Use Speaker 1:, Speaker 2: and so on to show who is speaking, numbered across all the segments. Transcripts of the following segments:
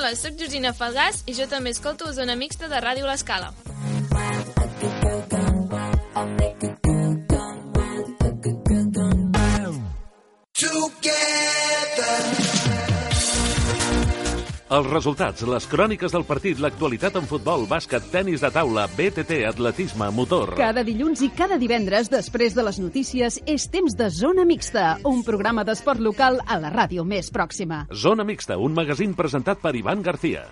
Speaker 1: Hola, sóc Georgina Falgàs i jo també escolto Zona Mixta de Ràdio L'Escala.
Speaker 2: Els resultats, les cròniques del partit, l'actualitat en futbol, bàsquet, tenis de taula, BTT, atletisme, motor.
Speaker 3: Cada dilluns i cada divendres, després de les notícies, és temps de Zona Mixta, un programa d'esport local a la ràdio més pròxima.
Speaker 2: Zona Mixta, un magazín presentat per Ivan García.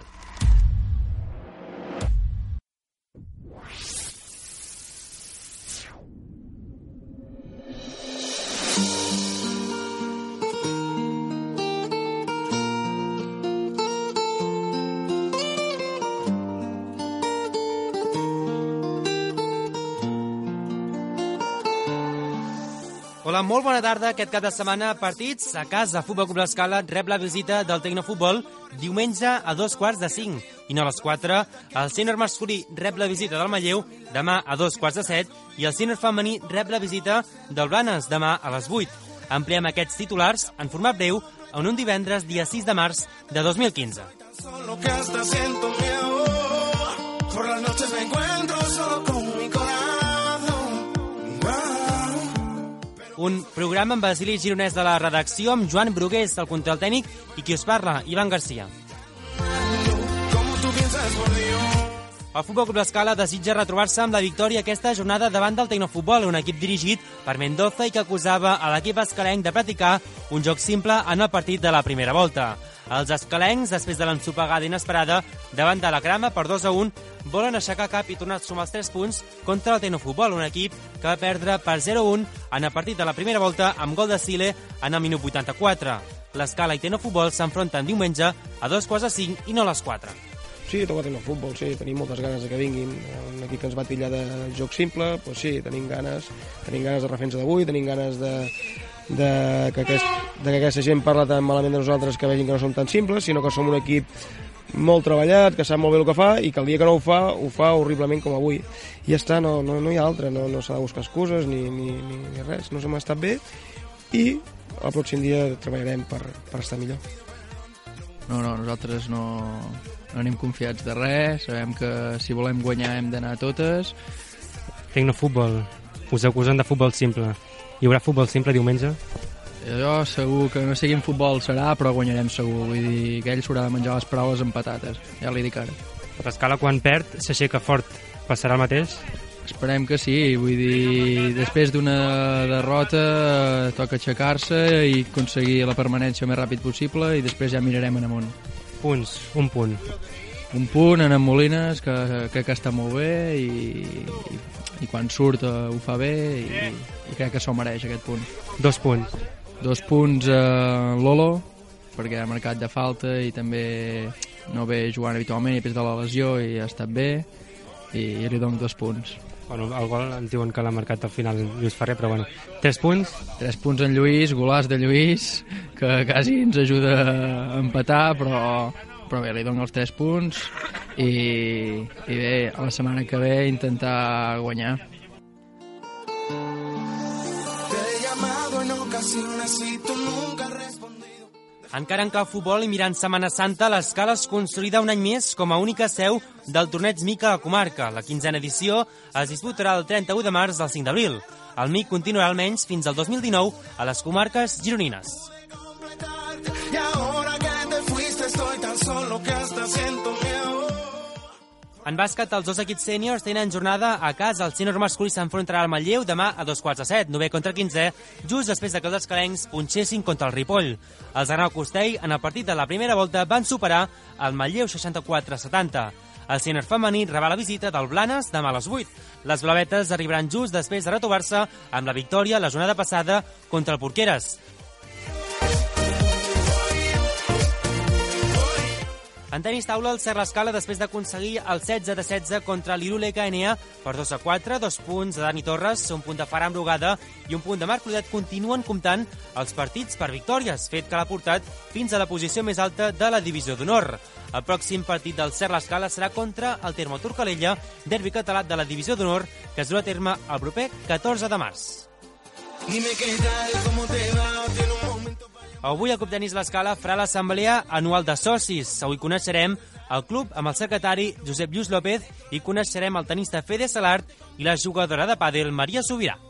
Speaker 4: Hola, molt bona tarda. Aquest cap de setmana, partits a casa. Futbol Club L'Escala rep la visita del Tecnofutbol diumenge a 2:45. I no a les 4. El sènior masculí rep la visita del Manlleu demà a 2:45. I el sènior femení rep la visita del Blanes demà a les 8. Ampliem aquests titulars en format breu en un divendres, dia 6 de març de 2015. Un programa amb Basili Gironès de la redacció, amb Joan Brugués, el control tècnic, i qui us parla, Ivan García. El Futbol Club L'Escala desitja retrobar-se amb la victòria aquesta jornada davant del Tecnofutbol, un equip dirigit per Mendoza i que acusava a l'equip escalenc de practicar un joc simple en el partit de la primera volta. Els escalencs, després de l'ensopegada inesperada davant de la Crama per 2-1, volen aixecar cap i tornar a sumar els 3 punts contra el Tecnofutbol, un equip que va perdre per 0-1 en el partit de la primera volta amb gol de Sile en el minut 84. L'Escala i Tecnofutbol s'enfronten diumenge a 2:45 i no a les 4.
Speaker 5: Sí, toca Tecnofutbol, sí, tenim moltes ganes de que vinguin. Un equip que ens va titllar de joc simple, doncs sí, tenim ganes de refer-nos d'avui, tenim ganes de que aquesta gent parla tan malament de nosaltres que vegin que no som tan simples, sinó que som un equip molt treballat, que sap molt bé el que fa i que el dia que no ho fa horriblement com avui. I ja està, no hi ha altra, no s'ha de buscar excuses ni res, no s'hem estat bé i el pròxim dia treballarem per estar millor.
Speaker 6: No, nosaltres no anem confiats de res, sabem que si volem guanyar hem d'anar a totes.
Speaker 4: Tecnofutbol, us acusen de futbol simple. Hi haurà futbol simple diumenge?
Speaker 6: Jo segur que no sigui en futbol serà, però guanyarem segur. Vull dir que ell s'haurà de menjar les paraules amb patates, ja li dic ara.
Speaker 4: L'Escala quan perd s'aixeca fort. Passarà el mateix?
Speaker 6: Esperem que sí, vull dir, després d'una derrota toca aixecar-se i aconseguir la permanència el més ràpid possible i després ja mirarem en amunt.
Speaker 4: Punts, un punt.
Speaker 6: Un punt en Molines, que crec que està molt bé i quan surt ho fa bé i crec que s'ho mereix aquest punt.
Speaker 4: 2 punts.
Speaker 6: 2 punts a Lolo, perquè ha marcat de falta i també no ve jugant habitualment i després de la lesió i ha estat bé i li dono 2 punts.
Speaker 4: Bueno, el gol ens diuen que l'ha marcat al final Lluís Ferrer, però bueno. 3 punts?
Speaker 6: 3 punts en Lluís, golàs de Lluís, que quasi ens ajuda a empatar, però bé, li dono els 3 punts i bé, a la setmana que ve intentar guanyar.
Speaker 4: Encara en cau futbol i mirant Setmana Santa, l'Escala es consolida un any més com a única seu del torneig MIC a la comarca. La 15a edició es disputarà el 31 de març al 5 d'abril. El MIC continuarà almenys fins al 2019 a les comarques gironines. En bàsquet, els 2 equips sèniors tenen jornada a casa. El sènior masculí s'enfrontarà al Manlleu demà a 2:45, 9 contra 15, just després que els escalencs punxessin contra el Ripoll. Els Arnau Costell, en el partit de la primera volta, van superar el Manlleu 64-70. El sènior femení rebrà la visita del Blanes demà a les 8. Les blavetes arribaran just després de retrobar-se amb la victòria la jornada passada contra el Porqueres. En tenis taula, el Ser l'Escala, després d'aconseguir el 16-16 contra l'Irule KNA per 2-4, 2 punts de Dani Torres, un punt de Ferran Brugada i un punt de Marc Clodet, continuen comptant els partits per victòries, fet que l'ha portat fins a la posició més alta de la divisió d'honor. El pròxim partit del Ser l'Escala serà contra el Termo Turcalella, derbi català de la divisió d'honor, que es durà a terme el proper 14 de març. Avui el Club Tenis l'Escala farà l'assemblea anual de socis. Avui coneixerem el club amb el secretari Josep Lluís López i coneixerem el tenista Fede Salart i la jugadora de pàdel Maria Subirà.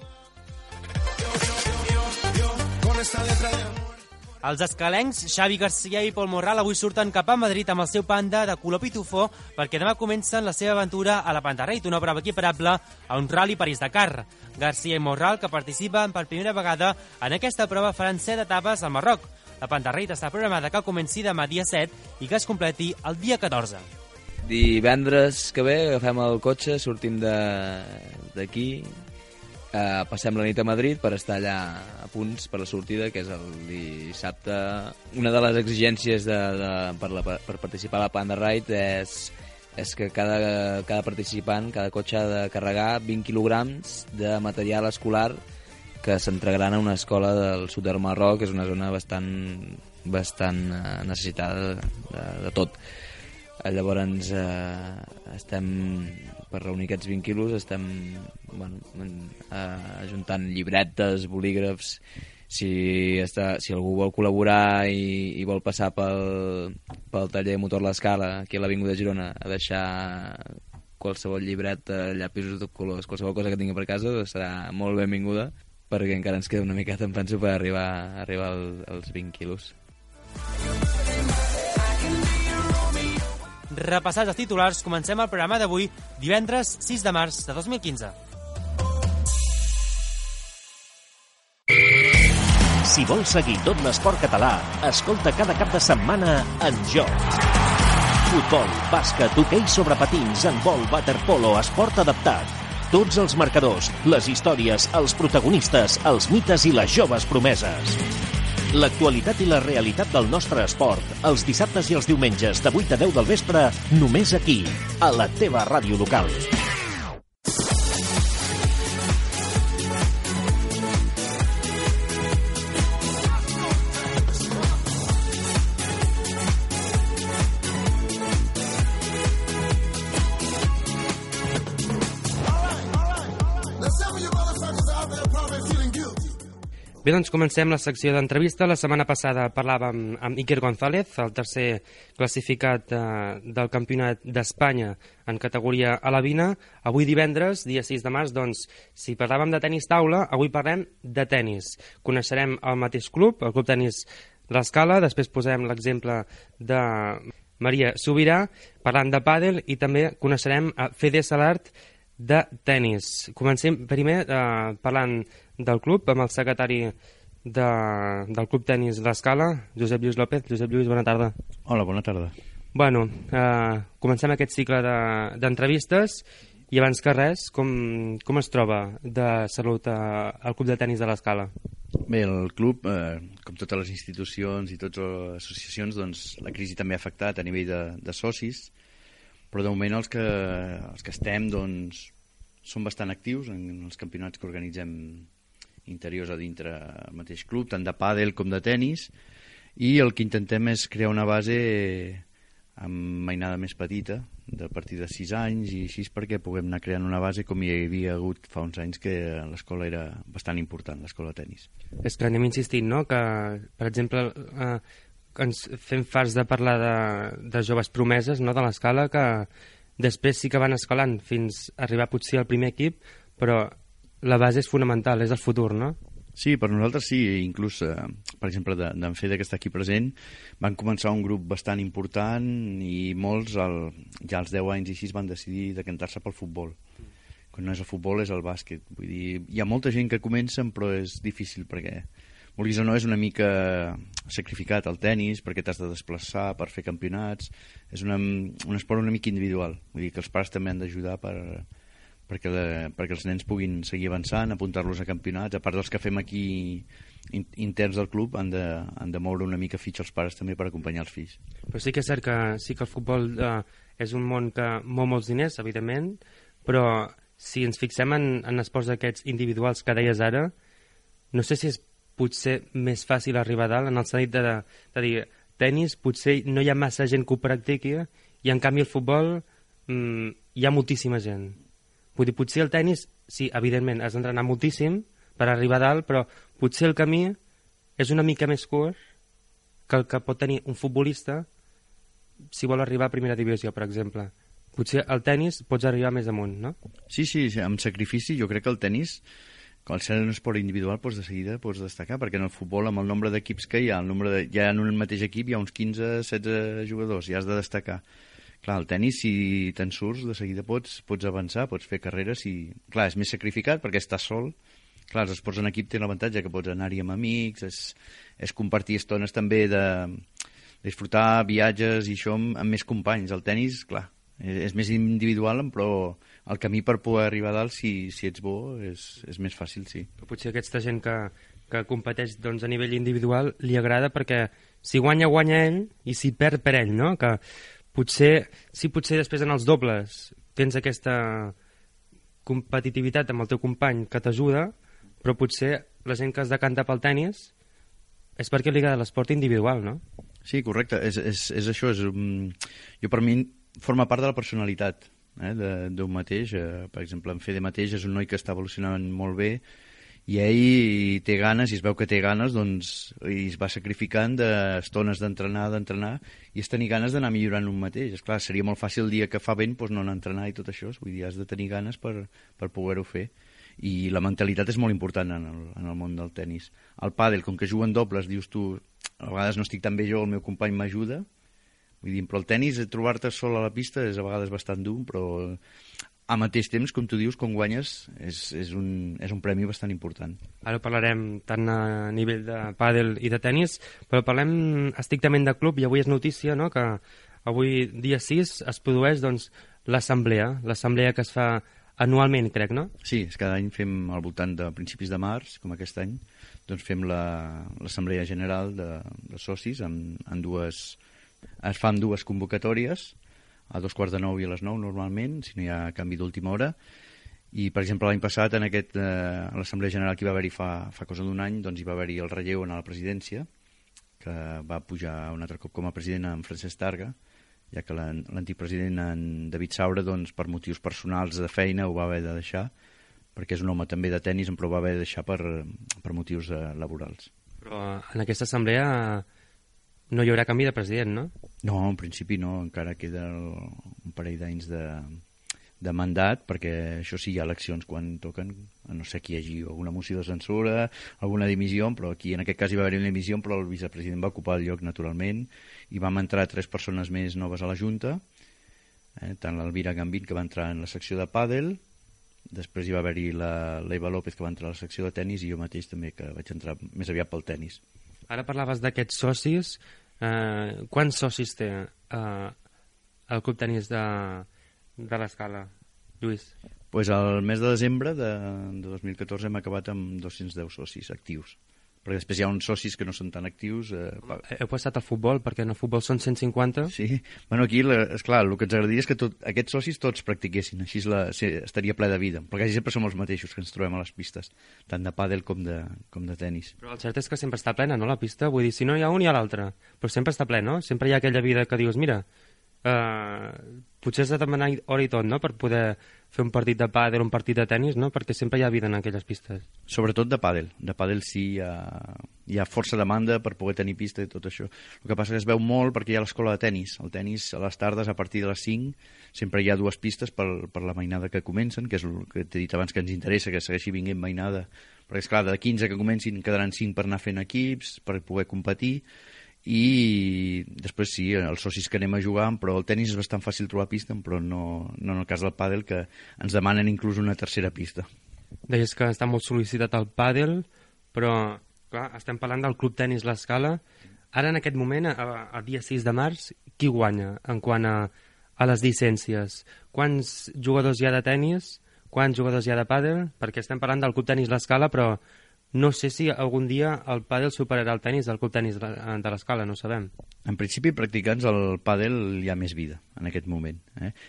Speaker 4: Els escalencs Xavi Garcia i Pol Morral avui surten cap a Madrid amb el seu Panda de color pitufó perquè demà comencen la seva aventura a la Pantarreit, una prova equiparable a un Rally París-Dakar. Garcia i Morral, que participen per primera vegada en aquesta prova, faran 7 etapes al Marroc. La Pantarreit està programada que comenci demà dia 7 i que es completi el dia 14.
Speaker 7: Divendres que ve agafem el cotxe, sortim d'aquí, passem la nit a Madrid per estar allà a punts per la sortida, que és el dissabte. Una de les exigències per participar a la Pantarreit és que cada participant, cada cotxe ha de carregar 20 quilograms de material escolar que s'entregaran a una escola del sud del Marroc, que és una zona bastant necessitada de tot. Llavors estem, per reunir aquests 20 quilos, estem ajuntant llibretes, bolígrafs. Si algú vol col·laborar i vol passar pel taller Motor l'Escala, aquí a l'Avinguda de Girona, a deixar qualsevol llibreta, llapisos de colors, qualsevol cosa que tingui per casa, serà molt benvinguda, perquè encara ens queda una miqueta, em penso, per arribar als 20 quilos.
Speaker 4: Repassats els titulars, comencem el programa d'avui, divendres 6 de març de 2015.
Speaker 2: Si vols seguir tot l'esport català, escolta cada cap de setmana En Joc. Futbol, bàsquet, hoquei sobre patins, handbol, waterpolo, esport adaptat. Tots els marcadors, les històries, els protagonistes, els mites i les joves promeses. L'actualitat i la realitat del nostre esport, els dissabtes i els diumenges de 8 a 10 del vespre, només aquí, a la teva ràdio local.
Speaker 8: Bé, doncs comencem la secció d'entrevista. La setmana passada parlàvem amb Iker González, el tercer classificat del Campionat d'Espanya en categoria alevina. Avui divendres, dia 6 de març, doncs, si parlàvem de tenis taula, avui parlem de tenis. Coneixerem el mateix club, el Club Tenis l'Escala, després posarem l'exemple de Maria Subirà, parlant de pàdel, i també coneixerem Fede Salart de tenis. Comencem primer parlant del club, amb el secretari del Club Tenis l'Escala, Josep Lluís López. Josep Lluís, bona tarda.
Speaker 9: Hola, bona tarda.
Speaker 8: Bueno, comencem aquest cicle d'entrevistes i abans que res, com es troba de salut el Club de Tenis de l'Escala?
Speaker 9: Bé, el club, com totes les institucions i totes les associacions, doncs la crisi també ha afectat a nivell de socis, però de moment els que estem doncs, són bastant actius en els campionats que organitzem interiors a dintre el mateix club, tant de pàdel com de tenis, i el que intentem és crear una base amb mainada més petita, de partir de 6 anys i així, perquè puguem anar creant una base com hi havia hagut fa uns anys, que l'escola era bastant important, l'escola de tenis.
Speaker 8: És que anem insistint, no?, que, per exemple, ens fem farts de parlar de joves promeses, no?, de l'Escala, que després sí que van escalant fins a arribar potser al primer equip, però la base és fonamental, és el futur, no?
Speaker 9: Sí, per nosaltres sí, inclús, per exemple, d'en Fede, que està aquí present, van començar un grup bastant important i molts, ja als 10 anys i així, van decidir decantar-se pel futbol. Quan no és el futbol, és el bàsquet. Vull dir, hi ha molta gent que comencen, però és difícil perquè, vulguis o no, és una mica sacrificat el tenis, perquè t'has de desplaçar per fer campionats. És un esport una mica individual. Vull dir que els pares també han d'ajudar perquè els nens puguin seguir avançant, apuntar-los a campionats. A part dels que fem aquí interns del club, han de moure una mica fitxa els pares també per acompanyar els fills.
Speaker 8: Però sí que és cert que el futbol és un món que mou molts diners, evidentment, però si ens fixem en esports d'aquests individuals que deies ara, no sé si és potser més fàcil arribar a dalt, en el sentit de dir, tenis, potser no hi ha massa gent que ho practiqui, i en canvi el futbol hi ha moltíssima gent. Vull dir, potser el tenis, sí, evidentment, has d'entrenar moltíssim per arribar a dalt, però potser el camí és una mica més curt que el que pot tenir un futbolista si vol arribar a primera divisió, per exemple. Potser al tennis pots arribar més amunt, no?
Speaker 9: Sí, amb sacrifici. Jo crec que el tennis, al ser un esport individual, de seguida pots destacar, perquè en el futbol, amb el nombre d'equips que hi ha, ja en un mateix equip hi ha uns 15-16 jugadors, i has de destacar. Clar, el tennis, si te'n surts, de seguida pots avançar, pots fer carreres, clar, és més sacrificat perquè estàs sol. Clar, els esports en equip tenen l'avantatge que pots anar-hi amb amics, és compartir estones també de disfrutar viatges i això amb més companys. El tennis, clar, és més individual, però el camí per poder arribar a dalt, si ets bo, és més fàcil, sí.
Speaker 8: Però potser aquesta gent que competeix a nivell individual li agrada perquè si guanya ell i si perd per ell, no? Que potser després en els dobles tens aquesta competitivitat amb el teu company que t'ajuda, però potser la gent que es decanta pel tennis és perquè li agrada l'esport individual, no?
Speaker 9: Sí, correcte, és això. Jo, per mi, forma part de la personalitat d'un mateix. Per exemple, en Fede mateix és un noi que està evolucionant molt bé i ell té ganes, i es veu que té ganes, doncs, i es va sacrificant d'estones d'entrenar, i és tenir ganes d'anar millorant un mateix. Esclar, seria molt fàcil el dia que fa vent no anar a entrenar i tot això, vull dir, has de tenir ganes per poder-ho fer. I la mentalitat és molt important en el món del tennis. El pàdel, com que juguen dobles, dius tu, a vegades no estic tan bé jo, el meu company m'ajuda, vull dir, però el tennis, trobar-te sol a la pista és a vegades bastant dur, però al mateix temps, com tu dius, quan guanyes és un premi bastant important.
Speaker 8: Ara parlarem tant a nivell de pàdel i de tennis, però parlem estrictament de club, i avui és notícia, no?, que avui, dia 6, es produeix l'assemblea que es fa anualment, crec, no?
Speaker 9: Sí, cada any fem al voltant de principis de març, com aquest any, doncs fem l'assemblea general de socis es fan dues convocatòries, a 8:45 i a les 9 normalment, si no hi ha canvi d'última hora, i per exemple l'any passat a l'assemblea general que hi va haver-hi fa cosa d'un any, doncs hi va haver-hi el relleu a la presidència, que va pujar un altre cop com a president en Francesc Targa, ja que l'antic president, en David Saura, doncs, per motius personals de feina ho va haver de deixar, perquè és un home també de tennis, però ho va haver de deixar per motius laborals.
Speaker 8: Però en aquesta assemblea no hi haurà canvi de president, no?
Speaker 9: No, en principi no, encara queda un parell d'anys de mandat, perquè això sí, hi ha eleccions quan toquen, a no ser que hi hagi alguna moció de censura, alguna dimissió, però aquí en aquest cas hi va haver una dimissió, però el vicepresident va ocupar el lloc naturalment, i vam entrar 3 persones més noves a la Junta, tant l'Elvira Gambit, que va entrar en la secció de pàdel, després hi va haver-hi l'Eva López, que va entrar a la secció de tennis, i jo mateix també, que vaig entrar més aviat pel tennis.
Speaker 8: Ara parlaves d'aquests socis. Quants socis té el Club Tenis de l'Escala, Lluís?
Speaker 9: Pues al mes de desembre de 2014 hem acabat amb 210 socis actius, perquè després hi ha uns socis que no són tan actius.
Speaker 8: Heu passat al futbol, perquè en el futbol són 150.
Speaker 9: Sí, bueno, aquí, esclar, el que ens agradaria és que aquests socis tots practiquessin, així estaria ple de vida, però quasi sempre som els mateixos que ens trobem a les pistes, tant de pàdel com de tennis.
Speaker 8: Però el cert és que sempre està plena, no, la pista? Vull dir, si no hi ha un, hi ha l'altre, però sempre està ple, no? Sempre hi ha aquella vida que dius, mira, potser has de demanar hora i tot, no?, per poder fer un partit de pàdel, un partit de tennis, no?, perquè sempre hi ha vida en aquelles pistes.
Speaker 9: Sobretot de pàdel sí, hi ha força demanda per poder tenir pista i tot això. El que passa que es veu molt perquè hi ha l'escola de tennis. El tennis a les tardes, a partir de les 5, sempre hi ha 2 pistes per la mainada que comencen, que és el que t'he dit abans que ens interessa, que segueixi vinguent mainada, perquè esclar, de 15 que comencin quedaran 5 per anar fent equips, per poder competir, i després sí, els socis que anem a jugar, però el tennis és bastant fàcil trobar pista, però no en el cas del pàdel, que ens demanen inclús una tercera pista.
Speaker 8: Deies que està molt sol·licitat el pàdel, però clar, estem parlant del Club Tenis l'Escala. Ara, en aquest moment, el dia 6 de març, qui guanya en quant a les llicències? Quants jugadors hi ha de tennis? Quants jugadors hi ha de pàdel? Perquè estem parlant del Club Tenis l'Escala, però no sé si algun dia el pàdel superarà el tennis del Club Tenis de l'Escala, no ho sabem.
Speaker 9: En principi, practicants, el pàdel hi ha més vida en aquest moment.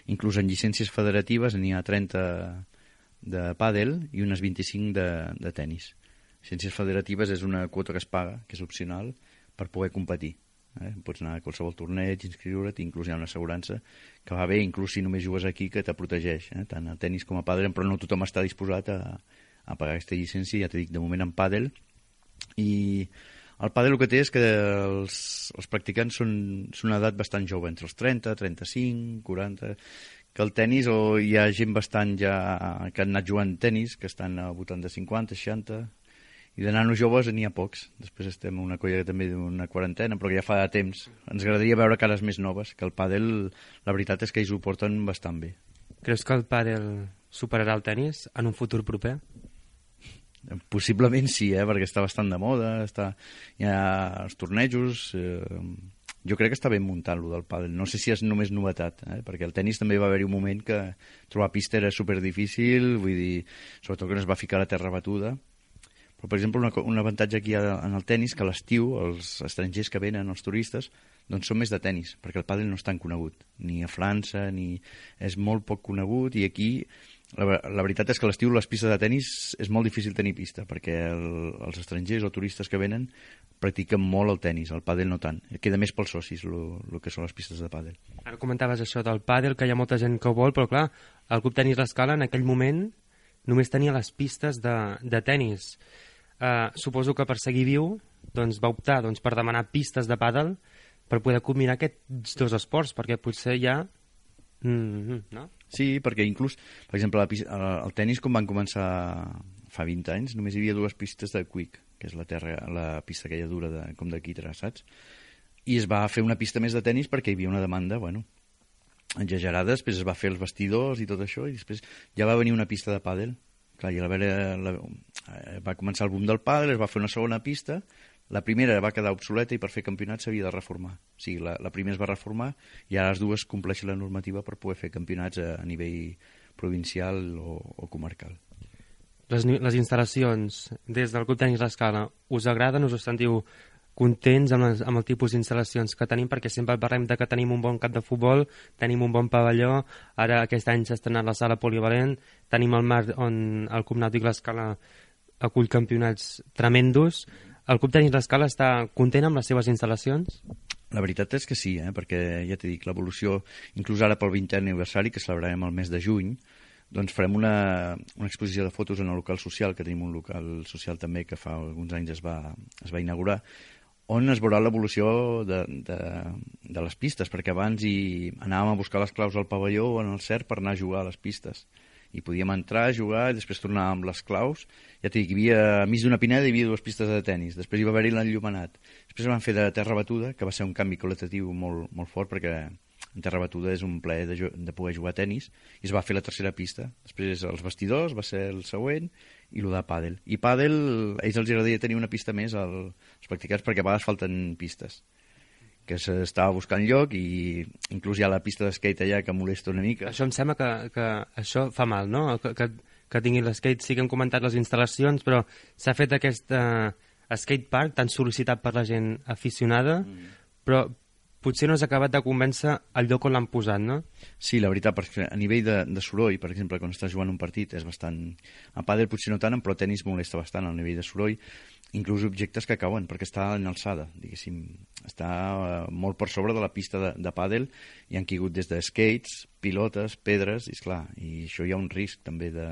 Speaker 9: Inclús en llicències federatives n'hi ha 30 de pàdel i unes 25 de tennis. Llicències federatives és una quota que es paga, que és opcional, per poder competir. Pots anar a qualsevol torneig, inscriure't, inclús hi ha una assegurança que va bé, inclús si només jugues aquí, que te protegeix, tant a tennis com a pàdel, però no tothom està disposat a pagar aquesta llicència, ja t'he dit, de moment en pàdel. I El pàdel el que té és que els practicants són una edat bastant jove, entre els 30, 35, 40... Que el tennis, o hi ha gent bastant ja que han anat jugant tennis, que estan al voltant de 50, 60... I de nanos joves n'hi ha pocs. Després estem una colla també d'una quarantena, però que ja fa temps. Ens agradaria veure cares més noves, que el pàdel, la veritat és que ells ho porten bastant bé.
Speaker 8: Creus que el pàdel superarà el tennis en un futur proper?
Speaker 9: Possiblement sí, perquè està bastant de moda, hi ha els tornejos... Jo crec que està ben muntat, lo del pàdel. No sé si és només novetat, perquè el tennis també va haver-hi un moment que trobar pista era superdifícil, vull dir, sobretot que no es va ficar a la terra batuda. Però, per exemple, un avantatge aquí en el tennis, que a l'estiu els estrangers que venen, els turistes, doncs són més de tennis, perquè el pàdel no és tan conegut, ni a França, ni és molt poc conegut, i aquí la veritat és que a l'estiu les pistes de tennis és molt difícil tenir pista, perquè els estrangers o turistes que venen practiquen molt el tennis, el pàdel no tant. Queda més pels socis, el que són les pistes de pàdel.
Speaker 8: Ara comentaves això del pàdel, que hi ha molta gent que ho vol, però clar, el Club Tenis L'Escala en aquell moment només tenia les pistes de tennis. Suposo que per seguir viu doncs, va optar per demanar pistes de pàdel per poder combinar aquests dos esports, perquè potser ja... no?
Speaker 9: Sí, perquè inclús, per exemple, el tennis, com van començar fa 20 anys, només hi havia dues pistes de quick, que és la pista aquella dura com de quitre, saps? I es va fer una pista més de tennis perquè hi havia una demanda, exagerada, després es va fer els vestidors i tot això, i després ja va venir una pista de pàdel. Clar, i va començar el boom del pàdel, es va fer una segona pista, la primera va quedar obsoleta i per fer campionat s'havia de reformar. O sigui, la primera es va reformar i ara les dues compleixen la normativa per poder fer campionats a nivell provincial o comarcal.
Speaker 8: Les instal·lacions des del Club Tenis L'Escala us agraden, us sentiu contents amb el tipus d'instal·lacions que tenim, perquè sempre parlem de que tenim un bon camp de futbol, tenim un bon pavelló, ara aquest any s'ha estrenat la sala polivalent, tenim el mar on el Club Nàutic L'Escala acull campionats tremendos. El Club Tenis L'Escala està content amb les seves instal·lacions?
Speaker 9: La veritat és que sí, perquè ja t'he dit, l'evolució, inclús ara pel 20è aniversari, que celebrarem el mes de juny, doncs farem una exposició de fotos en el local social, que tenim un local social també que fa alguns anys es va inaugurar, on es veurà l'evolució de les pistes, perquè abans anàvem a buscar les claus al pavelló o en el CERT per anar a jugar a les pistes. I podíem entrar, jugar, i després tornàvem amb les claus. Ja t'he dit, a mig d'una pineda hi havia dues pistes de tennis, després hi va haver-hi l'enllumenat. Després van fer de terra batuda, que va ser un canvi qualitatiu molt, molt fort, perquè en terra batuda és un plaer de poder jugar a tennis, i es va fer la tercera pista. Després els vestidors va ser el següent, i el de pàdel. I pàdel, a ells els agradaria tenir una pista més als practicants, perquè a vegades falten pistes, que s'estava buscant lloc, i inclús hi ha la pista d'skate allà que molesta una mica.
Speaker 8: Això em sembla que això fa mal, no? Que tinguin l'skate. Sí que hem comentat les instal·lacions, però s'ha fet aquest skate park tan sol·licitat per la gent aficionada, però potser no has acabat de convèncer el lloc on l'han posat, no?
Speaker 9: Sí, la veritat, perquè a nivell de soroll, per exemple, quan estàs jugant un partit és bastant... A pàdel potser no tant, però tenis molesta bastant al nivell de soroll, inclús objectes que cauen, perquè està en alçada, diguéssim. Està molt per sobre de la pista de pàdel, i han caigut des de skates, pilotes, pedres, i esclar, i això hi ha un risc també de...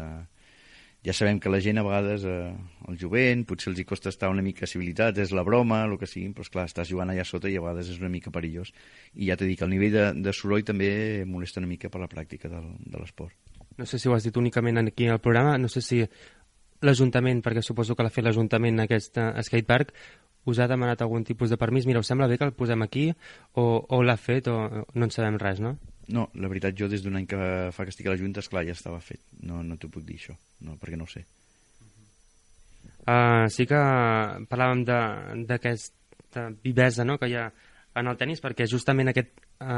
Speaker 9: Ja sabem que la gent a vegades, el jovent, potser els hi costa estar una mica civilitat, és la broma, el que sigui, però esclar, estàs jugant allà sota i a vegades és una mica perillós. I ja t'he dit que el nivell de soroll també molesta una mica per la pràctica de l'esport.
Speaker 8: No sé si ho has dit únicament aquí al programa, no sé si l'Ajuntament, perquè suposo que l'ha fet l'Ajuntament aquest skatepark, us ha demanat algun tipus de permís. Mira, us sembla bé que el posem aquí, o l'ha fet, o no en sabem res, no?
Speaker 9: No, la veritat, jo des d'un any que fa que estic a la Junta, esclar, ja estava fet. No t'ho puc dir, això, no, perquè no ho sé.
Speaker 8: Sí que parlàvem d'aquesta vivesa, no?, que hi ha en el tenis, perquè justament aquest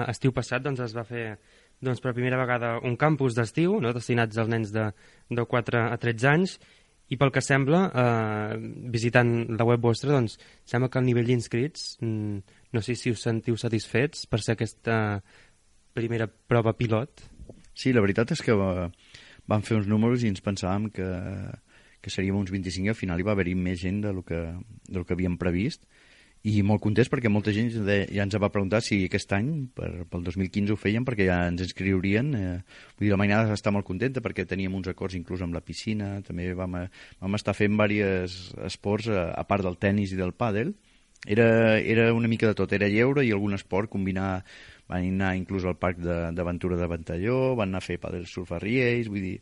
Speaker 8: estiu passat doncs, es va fer per primera vegada un campus d'estiu, no?, destinats als nens de 4 a 13 anys, i pel que sembla, visitant la web vostra, doncs sembla que el nivell d'inscrits, no sé si us sentiu satisfets per ser aquesta primera prova pilot.
Speaker 9: Sí, la veritat és que vam fer uns números i ens pensàvem que seríem uns 25 i al final hi va haver-hi més gent del que havíem previst, i molt contents perquè molta gent ja ens va preguntar si aquest any, pel 2015 ho feien, perquè ja ens inscriurien. Vull dir, la mainada està molt contenta perquè teníem uns acords inclús amb la piscina, també vam estar fent diversos esports a part del tennis i del pàdel, era una mica de tot, era lleure i algun esport, combinar, van anar inclús al parc d'aventura de Ventalló, van anar a fer pàdel surf a Riells, vull dir,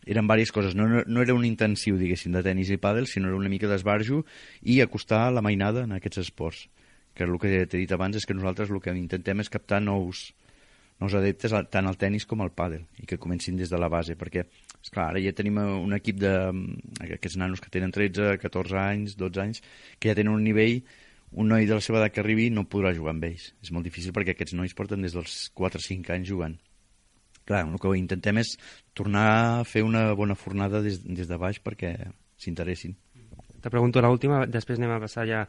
Speaker 9: eren diverses coses, no era un intensiu, diguéssim, de tenis i pàdel, sinó era una mica d'esbarjo i acostar la mainada en aquests esports, que el que t'he dit abans és que nosaltres el que intentem és captar nous adeptes tant al tenis com al pàdel i que comencin des de la base, perquè esclar, ara ja tenim un equip d'aquests nanos que tenen 13, 14 anys, 12 anys, que ja tenen un nivell, un noi de la seva edat que arribi no podrà jugar amb ells. És molt difícil perquè aquests nois porten des dels 4 o 5 anys jugant. Clar, el que intentem és tornar a fer una bona fornada des de baix perquè s'interessin.
Speaker 8: Te pregunto l'última, després anem a passar ja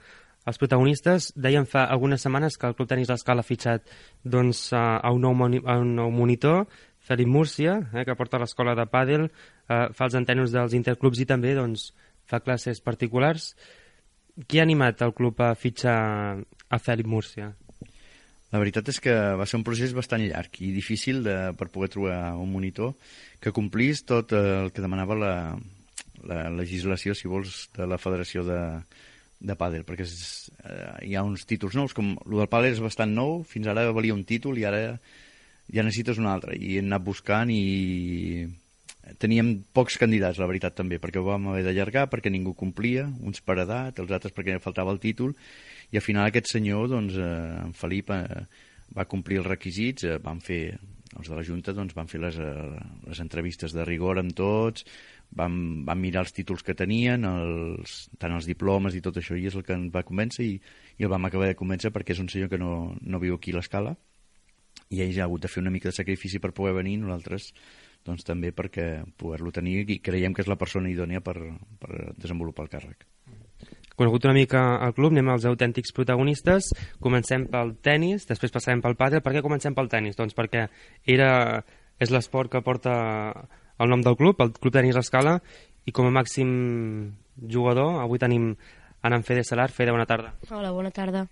Speaker 8: als protagonistes. Dèiem fa algunes setmanes que el Club Tenis l'Escala ha fitxat doncs, a un nou monitor, Felip Múrcia, que porta l'escola de pàdel, fa els entrenos dels interclubs i també doncs, fa classes particulars. Qui ha animat el club a fitxar a Felip Múrcia?
Speaker 9: La veritat és que va ser un procés bastant llarg i difícil per poder trobar un monitor que complís tot el que demanava la legislació, si vols, de la Federació de Pàdel, perquè hi ha uns títols nous, com el del pàdel és bastant nou, fins ara valia un títol i ara ja necessites un altre, i hem anat buscant i teníem pocs candidats, la veritat, també, perquè ho vam haver d'allargar, perquè ningú complia, uns per edat, els altres perquè faltava el títol, i al final aquest senyor, doncs, en Felip, va complir els requisits, van fer, els de la Junta, doncs, van fer les entrevistes de rigor amb tots, van mirar els títols que tenien, tant els diplomes i tot això, i és el que ens va convèncer, i el vam acabar de convèncer perquè és un senyor que no viu aquí a l'Escala, i ell ja ha hagut de fer una mica de sacrifici per poder venir, nosaltres doncs també perquè poder-lo tenir, i creiem que és la persona idònia per desenvolupar el càrrec.
Speaker 8: Conegut una mica el club, anem als autèntics protagonistes. Comencem pel tenis, després passarem pel pàdel. Per què comencem pel tenis? Doncs perquè és l'esport que porta el nom del club, el Club Tenis l'Escala, i com a màxim jugador avui tenim en Fede Salar. Fede, bona tarda.
Speaker 10: Hola, bona tarda.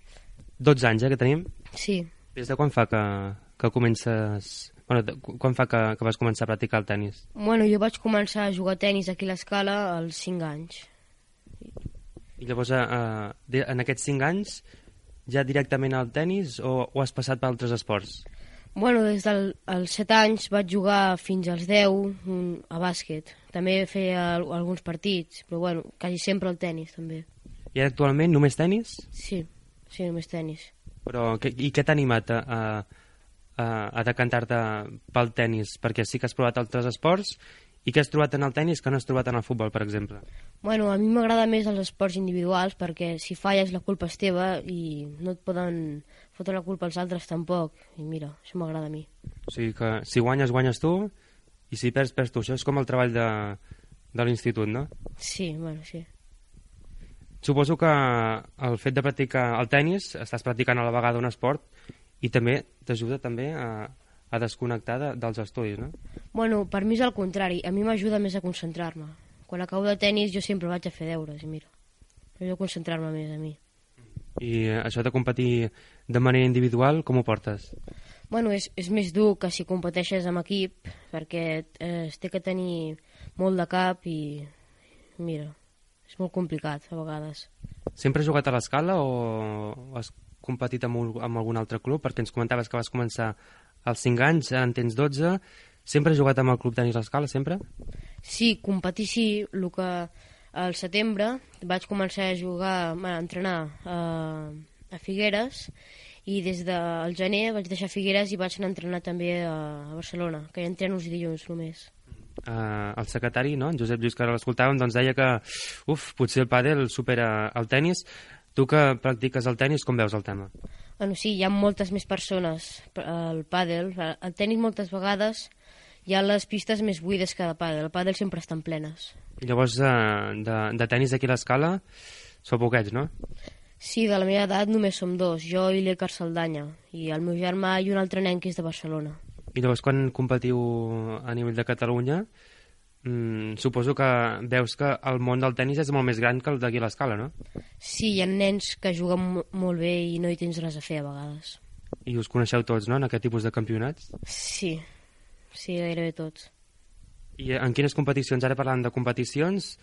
Speaker 8: 12 anys, que tenim?
Speaker 10: Sí.
Speaker 8: Des de quan fa que comences... Bueno, quan fa que vas començar a practicar el tenis?
Speaker 10: Bueno, jo vaig començar a jugar a tenis aquí a l'Escala als 5 anys.
Speaker 8: I llavors, en aquests 5 anys, ja directament al tenis o has passat per altres esports?
Speaker 10: Bueno, des dels 7 anys vaig jugar fins als 10 a bàsquet. També feia alguns partits, però bueno, quasi sempre el tenis també.
Speaker 8: I actualment només tenis?
Speaker 10: Sí, només tenis.
Speaker 8: Però i què t'ha animat a decantar-te pel tenis? Perquè sí que has provat altres esports, i què has trobat en el tenis que no has trobat en el futbol, per exemple?
Speaker 10: Bueno, a mi m'agrada més els esports individuals perquè si falles la culpa és teva i no et poden fotre la culpa als altres tampoc. I mira, això m'agrada a mi.
Speaker 8: O sigui que si guanyes, guanyes tu, i si perds, perds tu. Això és com el treball de l'institut, no?
Speaker 10: Sí, bueno, sí.
Speaker 8: Suposo que el fet de practicar el tenis, estàs practicant a la vegada un esport i també t'ajuda també a desconnectar dels estudis, no?
Speaker 10: Bueno, per mi és el contrari. A mi m'ajuda més a concentrar-me. Quan acabo de tenis jo sempre vaig a fer deures, i mira, m'ajuda a concentrar-me més a mi.
Speaker 8: I això de competir de manera individual, com ho portes?
Speaker 10: Bueno, és més dur que si competeixes amb equip, perquè es té que tenir molt de cap i mira, és molt complicat a vegades.
Speaker 8: Sempre has jugat a l'Escala o has competit amb algun altre club? Perquè ens comentaves que vas començar als 5 anys, en tens 12. Sempre has jugat amb el Club Tenis l'Escala, sempre?
Speaker 10: Sí, competir sí. El que al setembre vaig començar a jugar, a entrenar a Figueres, i des del gener vaig deixar Figueres i vaig anar a entrenar també a Barcelona, que hi entreno els dilluns només.
Speaker 8: El secretari, no? En Josep Lluís, que ara l'escoltàvem, doncs deia que potser el pàdel supera el tenis. Tu que practiques el tenis, com veus el tema?
Speaker 10: Bueno, sí, hi ha moltes més persones al pàdel. Al tenis moltes vegades hi ha les pistes més buides que de pàdel. El pàdel sempre estan plenes.
Speaker 8: I llavors de tenis aquí a l'Escala sou poquets, no?
Speaker 10: Sí, de la meva edat només som 2, jo i l'Écar Saldanya, i el meu germà i un altre nen que és de Barcelona.
Speaker 8: I llavors quan competiu a nivell de Catalunya, suposo que veus que el món del tenis és molt més gran que el d'aquí a l'Escala, no?
Speaker 10: Sí, hi ha nens que juguen molt bé i no hi tens res a fer a vegades.
Speaker 8: I us coneixeu tots, no?, en aquest tipus de campionats?
Speaker 10: Sí, gairebé tots.
Speaker 8: I en quines competicions? Ara parlant de competicions,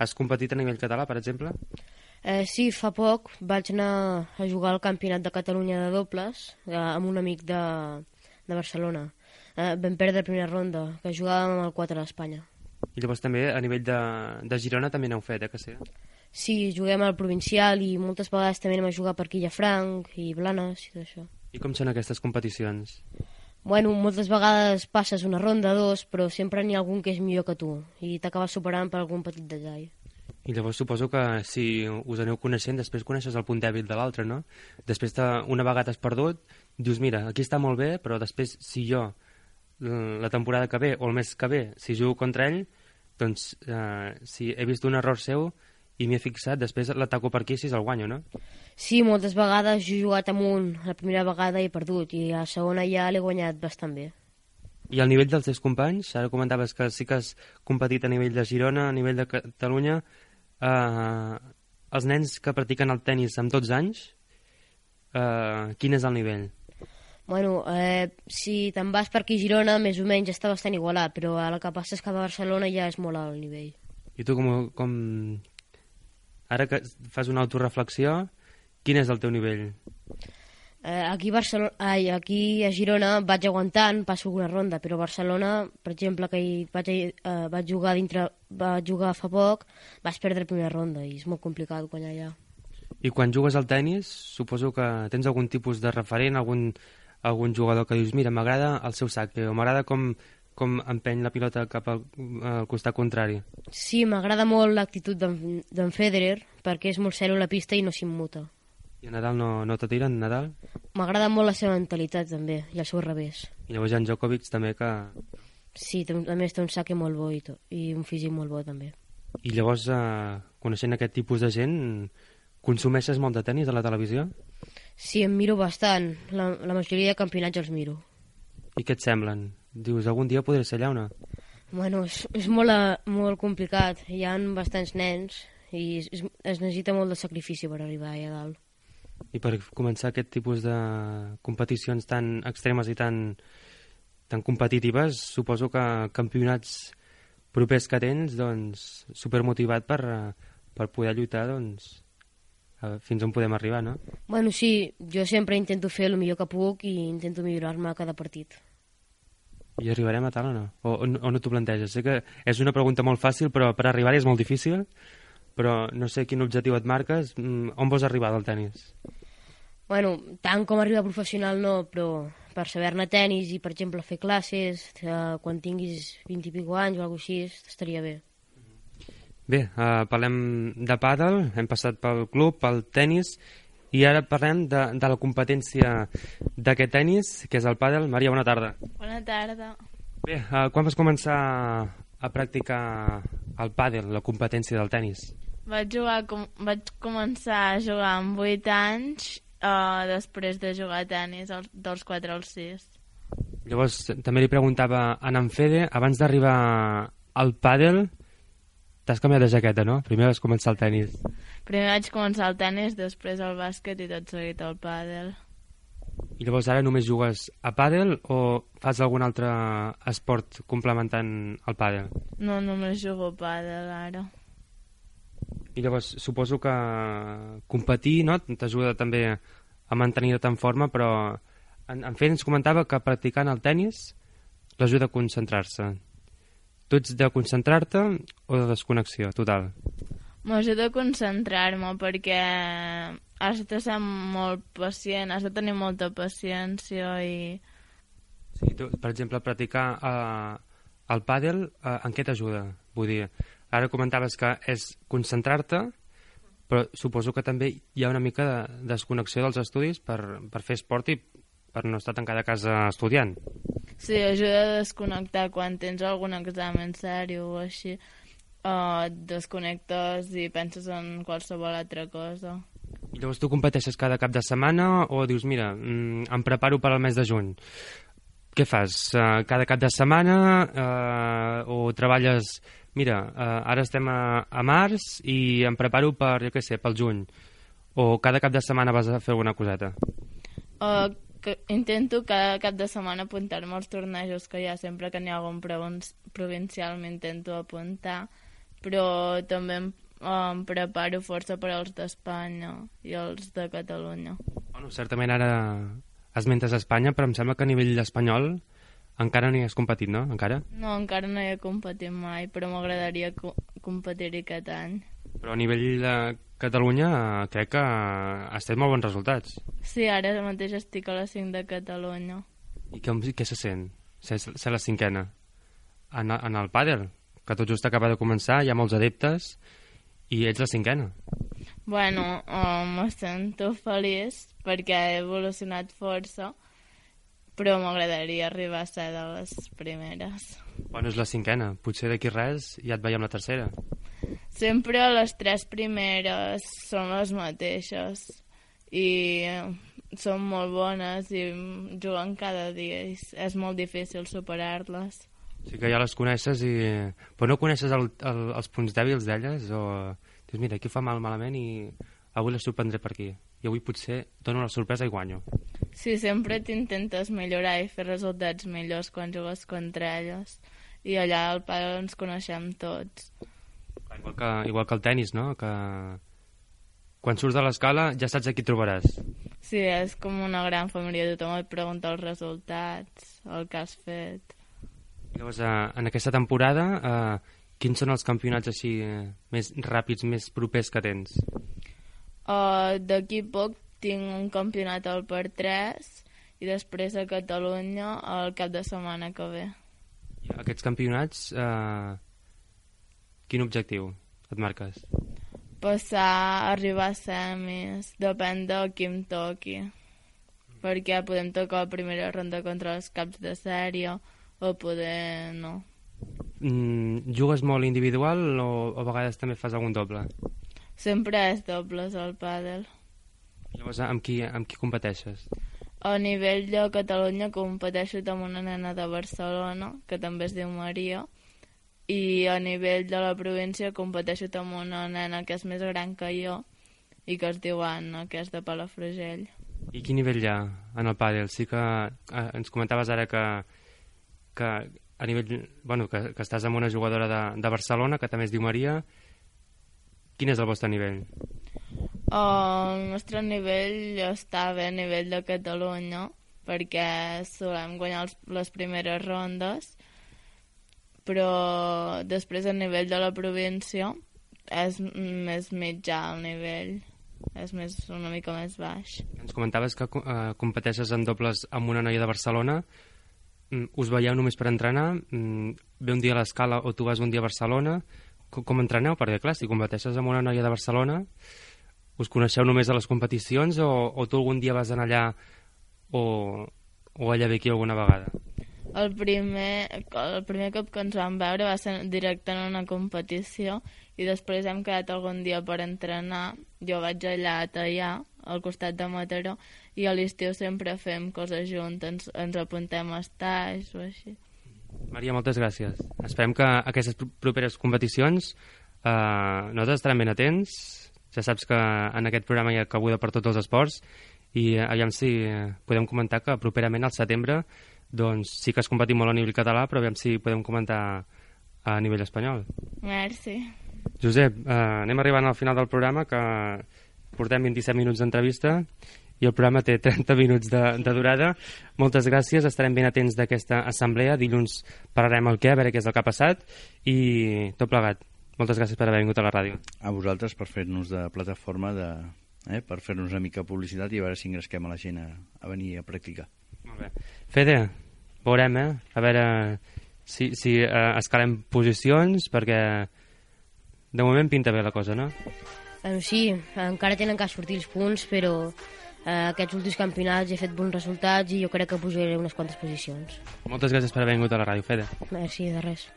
Speaker 8: has competit a nivell català, per exemple?
Speaker 10: Sí, fa poc vaig anar a jugar al Campionat de Catalunya de dobles amb un amic de Barcelona. Vam perdre la primera ronda, que jugàvem amb el 4 d'Espanya.
Speaker 8: I llavors també a nivell de Girona també n'heu fet, que sí?
Speaker 10: Sí, juguem al provincial i moltes vegades també anem a jugar per Quillafranc i Blanes i tot això.
Speaker 8: I com són aquestes competicions?
Speaker 10: Bueno, moltes vegades passes una ronda, dos, però sempre n'hi ha algun que és millor que tu i t'acabes superant per algun petit detall.
Speaker 8: I llavors suposo que si us aneu coneixent, després coneixes el punt dèbil de l'altre, no? Després una vegada has perdut, dius, mira, aquí està molt bé, però després si jo, la temporada que ve, o el mes que ve, si jugo contra ell, doncs si he vist un error seu i m'hi he fixat, després l'ataco per aquí si el guanyo, no?
Speaker 10: Sí, moltes vegades jo he jugat amb un, la primera vegada he perdut, i a la segona ja l'he guanyat bastant bé.
Speaker 8: I al nivell dels teus companys, ara comentaves que sí que has competit a nivell de Girona, a nivell de Catalunya, els nens que practiquen el tennis amb 12 anys, quin és el nivell?
Speaker 10: Bueno, si te'n vas per aquí a Girona, més o menys està bastant igualat, però el que passa és que a Barcelona ja és molt alt el nivell.
Speaker 8: I tu com ara que fas una autoreflexió, quin és el teu nivell?
Speaker 10: Aquí a Girona vaig aguantant, passo una ronda, però a Barcelona, per exemple, que vaig jugar fa poc, vaig perdre la primera ronda i és molt complicat guanyar allà.
Speaker 8: I quan jugues al tennis, suposo que tens algun tipus de referent, algun jugador que dius, mira, m'agrada el seu saque, o m'agrada com empeny la pilota cap al costat contrari.
Speaker 10: Sí, m'agrada molt l'actitud d'en Federer, perquè és molt sèrio a la pista i no s'immuta.
Speaker 8: I a Nadal no te tiren, Nadal?
Speaker 10: M'agrada molt la seva mentalitat, també, i el seu revés.
Speaker 8: I llavors en Djokovic també que...
Speaker 10: Sí, a més té un saque molt bo i un físic molt bo, també.
Speaker 8: I llavors, coneixent aquest tipus de gent, consumeixes molt de tennis a la televisió?
Speaker 10: Sí, em miro bastant. La majoria de campionats els miro.
Speaker 8: I què et semblen? Dius, algun dia podré ser allà o no?
Speaker 10: Bueno, és molt complicat. Hi ha bastants nens i es necessita molt de sacrifici per arribar allà dalt.
Speaker 8: I per començar aquest tipus de competicions tan extremes i tan competitives, suposo que campionats propers que tens, doncs, supermotivat per poder lluitar, doncs, fins on podem arribar, no?
Speaker 10: Bueno, sí, jo sempre intento fer el millor que puc i intento millorar-me a cada partit.
Speaker 8: I arribarem a tal o no? O no t'ho planteges? Sé que és una pregunta molt fàcil, però per arribar-hi és molt difícil, però no sé quin objectiu et marques. On vols arribar del tennis?
Speaker 10: Bueno, tant com arribar professional no, però per saber-ne tennis i, per exemple, fer classes, quan tinguis 20 i escaig anys o alguna cosa així, estaria bé.
Speaker 8: Bé, parlem de pàdel, hem passat pel club, pel tennis, i ara parlem de la competència d'aquest tennis, que és el pàdel. Maria, bona tarda.
Speaker 1: Bona tarda.
Speaker 8: Bé, quan vas començar a practicar el pàdel, la competència del tennis?
Speaker 1: Vaig començar a jugar amb 8 anys, després de jugar a tennis dels 4 als 6.
Speaker 8: Llavors, també li preguntava a en Fede, abans d'arribar al pàdel, t'has canviat de jaqueta, no? Primer vas començar el tennis.
Speaker 1: Primer vaig començar el tennis, després el bàsquet i tot seguit el pàdel.
Speaker 8: I llavors ara només jugues a pàdel o fas algun altre esport complementant el pàdel? No,
Speaker 1: només jugo a pàdel ara.
Speaker 8: I llavors suposo que competir, no?, t'ajuda també a mantenir-te en forma, però en Fede ens comentava que practicant el tennis l'ajuda a concentrar-se. Tu ets de concentrar-te o de desconnexió total?
Speaker 1: M'ajuda a concentrar-me perquè has de ser molt pacient, has de tenir molta paciència i...
Speaker 8: Sí, tu, per exemple, practicar el pàdel, en què t'ajuda? Vull dir, ara comentaves que és concentrar-te, però suposo que també hi ha una mica de desconnexió dels estudis per fer esport i per no estar tancada a casa estudiant.
Speaker 1: Sí, ajuda a desconnectar quan tens algun examen seriós o així. Et desconnectes i penses en qualsevol altra cosa.
Speaker 8: I llavors tu competeixes cada cap de setmana o dius, mira, em preparo per al mes de juny? Què fas? Cada cap de setmana o treballes... Mira, ara estem a març i em preparo per, jo què sé, pel juny. O cada cap de setmana vas a fer alguna coseta?
Speaker 1: Intento cada cap de setmana apuntar-me als tornejos que hi ha. Sempre que n'hi ha algun provincial m'intento apuntar, però també em preparo força per als d'Espanya i els de Catalunya.
Speaker 8: Bueno, certament ara esmentes Espanya, però em sembla que a nivell espanyol encara no hi has competit, no? Encara?
Speaker 1: No, encara no hi he competit mai, però m'agradaria competir-hi aquest any.
Speaker 8: Però a nivell de Catalunya crec que has fet molt bons resultats.
Speaker 1: Sí, ara mateix estic a la 5 de Catalunya.
Speaker 8: I què se sent? Ser la 5ena? En el pàdel, que tot just acaba de començar, hi ha molts adeptes i ets la 5ena.
Speaker 1: Bueno, me sento feliç perquè he evolucionat força, però m'agradaria arribar a ser de les primeres.
Speaker 8: Bueno, és la 5ena. Potser d'aquí res ja et veiem la tercera.
Speaker 1: Sempre les 3 primeres són les mateixes i són molt bones i juguen cada dia i és molt difícil superar-les.
Speaker 8: Sí que ja les coneixes i... Però no coneixes els punts dèbils d'elles o dius, mira, aquí fa malament i avui les sorprendré per aquí. I avui potser dono la sorpresa i guanyo.
Speaker 1: Sí, sempre t'intentes millorar i fer resultats millors quan jugues contra elles. I allà al pàdel ens coneixem tots.
Speaker 8: Igual que el tennis, no? Que quan surts de l'escala ja saps a qui trobaràs.
Speaker 1: Sí, és com una gran família. Tothom et pregunta els resultats, el que has fet.
Speaker 8: Llavors, en aquesta temporada, quins són els campionats així més ràpids, més propers que tens?
Speaker 1: D'aquí poc tinc un campionat al per 3 i després a Catalunya el cap de setmana que ve.
Speaker 8: I aquests campionats, quin objectiu et marques?
Speaker 1: Passar, arribar a semis, depèn de qui em toqui, perquè podem tocar la primera ronda contra els caps de sèrie o poder no.
Speaker 8: Jugues molt individual o a vegades també fas algun doble?
Speaker 1: Sempre és dobles al pàdel.
Speaker 8: Llavors, amb qui competeixes?
Speaker 1: A nivell de Catalunya competeixo amb una nena de Barcelona, que també es diu Maria, i a nivell de la província competeixo amb una nena que és més gran que jo i que es diu Anna, que és de Palafrugell.
Speaker 8: I quin nivell hi ha en el pàdel? Sí que ens comentaves ara que a nivell, bueno, que estàs amb una jugadora de Barcelona, que també es diu Maria. Quin és el vostre nivell?
Speaker 1: El nostre nivell està bé a nivell de Catalunya, perquè solem guanyar les primeres rondes, però després a nivell de la província és més mitjà el nivell, és una mica més baix.
Speaker 8: Ens comentaves que competeixes en dobles amb una noia de Barcelona. Us veieu només per entrenar? Ve un dia a l'escala o tu vas un dia a Barcelona? Com entreneu? Perquè, clar, si competeixes amb una noia de Barcelona, us coneixeu només a les competicions o tu algun dia vas anar allà o ella ve aquí alguna vegada?
Speaker 1: El primer cop que ens vam veure va ser directe en una competició i després hem quedat algun dia per entrenar. Jo vaig allà a Teià, al costat de Mataró, i a l'estiu sempre fem coses juntes, ens apuntem a estais o així.
Speaker 8: Maria, moltes gràcies. Esperem que aquestes properes competicions nosaltres estarem ben atents. Ja saps que en aquest programa hi ha cabuda per tots els esports i aviam si podem comentar que properament al setembre doncs sí que es competit molt a nivell català, però aviam si podem comentar a nivell espanyol.
Speaker 1: Merci.
Speaker 8: Josep, anem arribant al final del programa, que portem 27 minuts d'entrevista i el programa té 30 minuts de durada. Moltes gràcies, estarem ben atents d'aquesta assemblea. Dilluns parlarem el què, a veure què és el que ha passat i tot plegat. Moltes gràcies per haver vingut a la ràdio.
Speaker 9: A vosaltres per fer-nos de plataforma, per fer-nos una mica publicitat i a veure si engresquem a la gent a venir a practicar.
Speaker 8: Molt bé. Fede, veurem, a veure si escalem posicions, perquè de moment pinta bé la cosa, no?
Speaker 10: Sí, encara tenen que sortir els punts, però aquests últims campionats he fet bons resultats i jo crec que pujaré unes quantes posicions.
Speaker 8: Moltes gràcies per haver vingut a la ràdio, Fede.
Speaker 10: Merci, de res.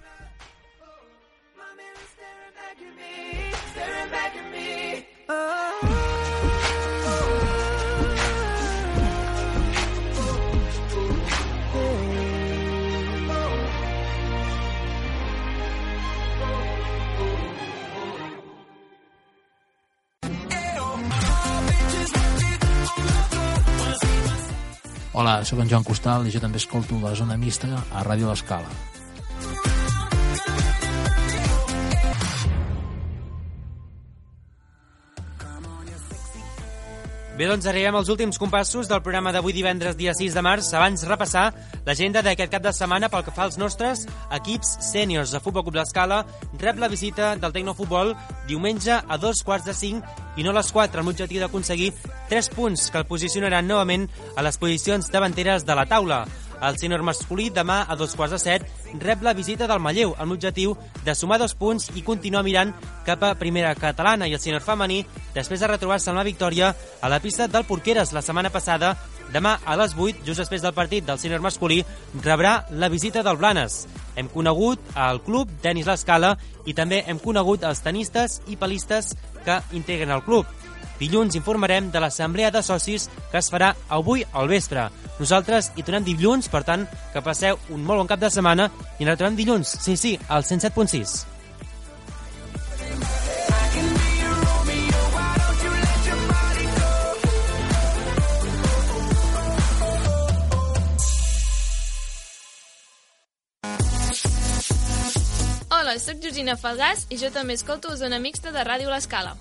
Speaker 11: Hola, sóc en Joan Costal i jo també escolto la Zona Mixta a Ràdio L'Escala.
Speaker 4: Bé, doncs arribem als últims compassos del programa d'avui divendres, dia 6 de març. Abans repassar l'agenda d'aquest cap de setmana pel que fa als nostres equips sèniors. El Futbol Club l'Escala rep la visita del Tecnofutbol diumenge a 2:45 i no a les 4, amb l'objectiu d'aconseguir 3 punts que el posicionaran novament a les posicions davanteres de la taula. El sènior masculí demà a 2:15 rep la visita del Manlleu amb l'objectiu de sumar 2 punts i continuar mirant cap a primera catalana, i el sènior femení, després de retrobar-se amb la victòria a la pista del Porqueres la setmana passada, demà a les 8, just després del partit del sènior masculí, rebrà la visita del Blanes. Hem conegut el club Tenis l'Escala i també hem conegut els tenistes i pelistes que integren el club. Dilluns informarem de l'assemblea de socis que es farà avui al vespre. Nosaltres hi tornem dilluns, per tant, que passeu un molt bon cap de setmana i ens retrobem dilluns, sí, al 107.6.
Speaker 12: Hola, soc Georgina Falgàs i jo també escolto Zona Mixta de Ràdio L'Escala.